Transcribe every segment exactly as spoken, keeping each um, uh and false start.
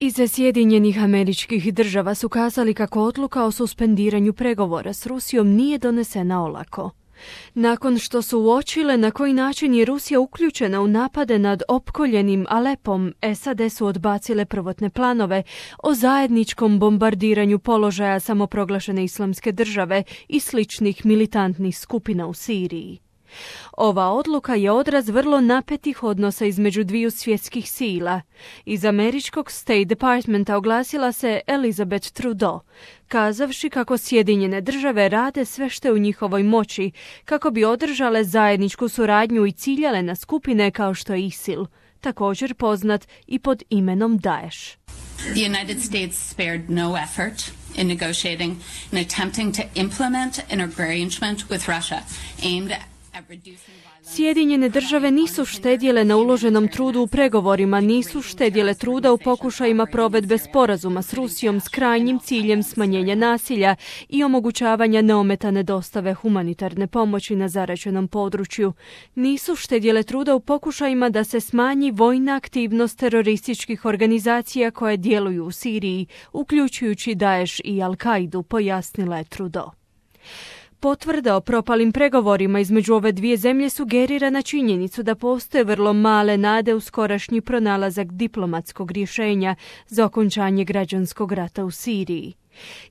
Iz Sjedinjenih Američkih Država su kazali kako odluka o suspendiranju pregovora s Rusijom nije donesena olako. Nakon što su uočile na koji način je Rusija uključena u napade nad opkoljenim Alepom, S A D su odbacile prvotne planove o zajedničkom bombardiranju položaja samoproglašene Islamske države i sličnih militantnih skupina u Siriji. Ova odluka je odraz vrlo napetih odnosa između dviju svjetskih sila. Iz američkog State Departmenta oglasila se Elizabeth Trudeau, kazavši kako Sjedinjene države rade sve što je u njihovoj moći kako bi održale zajedničku suradnju i ciljale na skupine kao što je ISIL, također poznat i pod imenom Daesh. The United States spared no effort in negotiating and attempting to implement an arrangement with Russia aimed at Sjedinjene države nisu štedjele na uloženom trudu u pregovorima, nisu štedjele truda u pokušajima provedbe sporazuma s Rusijom s krajnjim ciljem smanjenja nasilja i omogućavanja neometane dostave humanitarne pomoći na zaraćenom području. Nisu štedjele truda u pokušajima da se smanji vojna aktivnost terorističkih organizacija koje djeluju u Siriji, uključujući Daesh i Al-Kaidu, pojasnila je Trudeau. Potvrda o propalim pregovorima između ove dvije zemlje sugerira na činjenicu da postoje vrlo male nade u skorašnji pronalazak diplomatskog rješenja za okončanje građanskog rata u Siriji.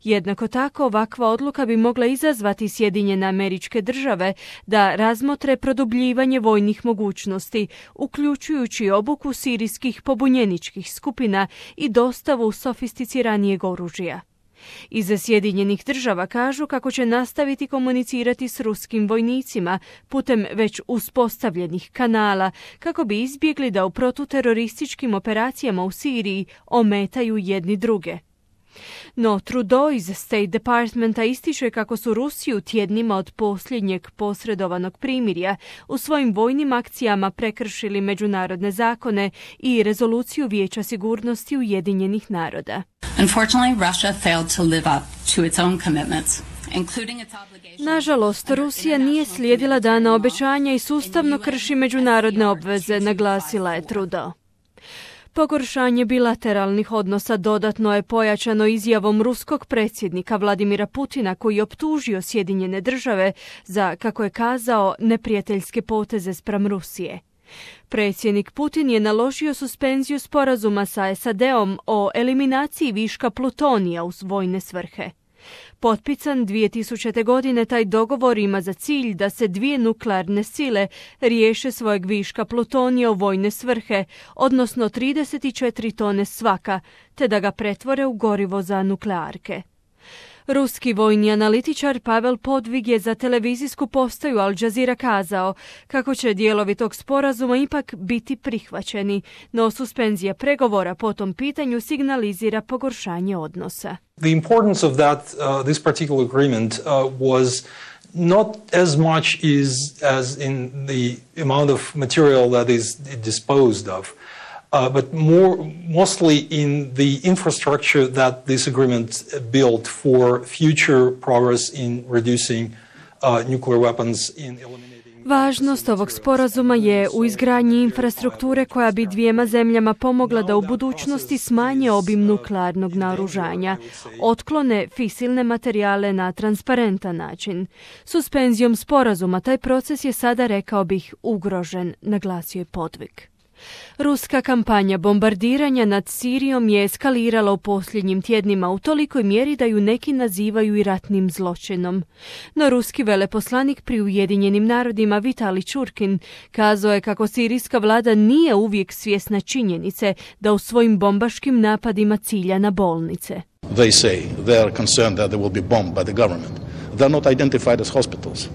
Jednako tako, ovakva odluka bi mogla izazvati Sjedinjene Američke Države da razmotre produbljivanje vojnih mogućnosti, uključujući obuku sirijskih pobunjeničkih skupina i dostavu sofisticiranijeg oružja. Iz Sjedinjenih Država kažu kako će nastaviti komunicirati s ruskim vojnicima putem već uspostavljenih kanala kako bi izbjegli da u protuterorističkim operacijama u Siriji ometaju jedni druge. No Trudeau iz State Departmenta ističe kako su Rusiju tjednima od posljednjeg posredovanog primirja u svojim vojnim akcijama prekršili međunarodne zakone i rezoluciju Vijeća sigurnosti Ujedinjenih naroda. Unfortunately, Russia failed to live up to its own commitments. Nažalost, Rusija nije slijedila dana obećanja i sustavno krši međunarodne obveze, naglasila je Trudeau. Pogoršanje bilateralnih odnosa dodatno je pojačano izjavom ruskog predsjednika Vladimira Putina koji je optužio Sjedinjene države za, kako je kazao, neprijateljske poteze spram Rusije. Predsjednik Putin je naložio suspenziju sporazuma sa S A D-om o eliminaciji viška plutonija u vojne svrhe. Potpisan dvije tisućite. godine, taj dogovor ima za cilj da se dvije nuklearne sile riješe svojeg viška plutonija u vojne svrhe, odnosno trideset četiri tone svaka, te da ga pretvore u gorivo za nuklearke. Ruski vojni analitičar Pavel Podvig je za televizijsku postaju Al Jazeera kazao kako će dijelovi tog sporazuma ipak biti prihvaćeni, no suspenzija pregovora po tom pitanju signalizira pogoršanje odnosa. The importance of that, uh, this particular agreement uh, was not as much is, as in the amount of material that is disposed of. Uh, but more, mostly in the infrastructure that this agreement built for future progress in reducing uh, nuclear weapons, in eliminating... Važnost ovog sporazuma je u izgradnji infrastrukture koja bi dvijema zemljama pomogla da u budućnosti smanje obim nuklearnog naoružanja, otklone fisilne materijale na transparentan način. Suspenzijom sporazuma taj proces je sada, rekao bih, ugrožen, naglasio je Podvig. Ruska kampanja bombardiranja nad Sirijom je eskalirala u posljednjim tjednima u tolikoj mjeri da ju neki nazivaju i ratnim zločinom. No ruski veleposlanik pri Ujedinjenim narodima Vitali Čurkin kazao je kako sirijska vlada nije uvijek svjesna činjenice da u svojim bombaškim napadima cilja na bolnice. They say they are concerned that they will be bombed by the government. They are not identified as hospitals.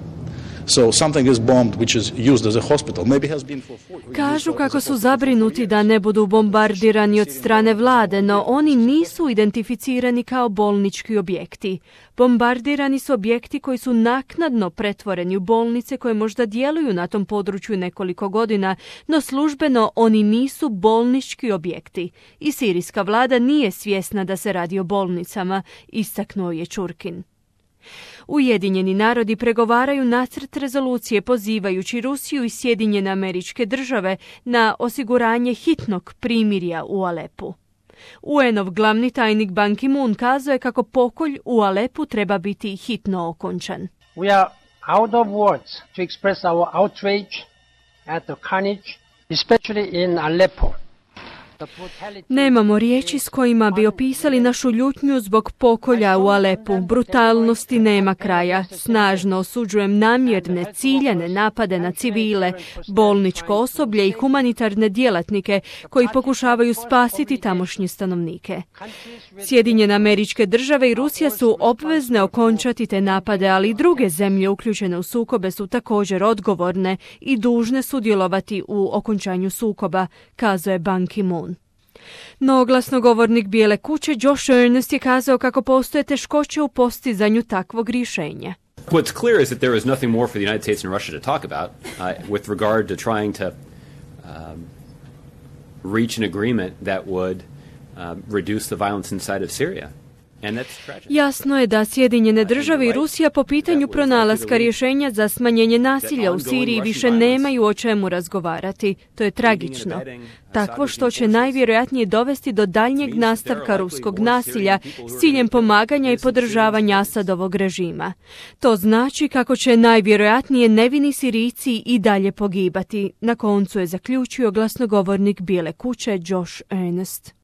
So something is bombed which is used as a hospital. Maybe has been for Kažu kako su zabrinuti da ne budu bombardirani od strane vlade, no oni nisu identificirani kao bolnički objekti. Bombardirani su objekti koji su naknadno pretvoreni u bolnice koje možda djeluju na tom području nekoliko godina, no službeno oni nisu bolnički objekti. I sirijska vlada nije svjesna da se radi o bolnicama, istaknuo je Čurkin. Ujedinjeni narodi pregovaraju nacrt rezolucije pozivajući Rusiju i Sjedinjene Američke Države na osiguranje hitnog primirja u Alepu. U N-ov glavni tajnik Ban Ki-moon kazao je kako pokolj u Alepu treba biti hitno okončan. We are out of words to express our outrage at the carnage, especially in Aleppo. Nemamo riječi s kojima bi opisali našu ljutnju zbog pokolja u Alepu. Brutalnosti nema kraja. Snažno osuđujem namjerne, ciljane napade na civile, bolničko osoblje i humanitarne djelatnike koji pokušavaju spasiti tamošnje stanovnike. Sjedinjene Američke Države i Rusija su obvezne okončati te napade, ali i druge zemlje uključene u sukobe su također odgovorne i dužne sudjelovati u okončanju sukoba, kazao je Ban Ki-moon. No glasnogovornik Bijele kuće Josh Earnest je kazao kako postoje teškoće u postizanju takvog rješenja. What's clear is that there is nothing more for the United States and Russia to talk about uh, with regard to trying to um, reach an agreement that would um, reduce the violence inside of Syria. Jasno je da Sjedinjene Države i Rusija po pitanju pronalaska rješenja za smanjenje nasilja u Siriji više nemaju o čemu razgovarati. To je tragično. Takvo što će najvjerojatnije dovesti do daljnjeg nastavka ruskog nasilja s ciljem pomaganja i podržavanja Asadovog režima. To znači kako će najvjerojatnije nevini Sirijci i dalje pogibati. Na koncu je zaključio glasnogovornik Bijele kuće Josh Earnest.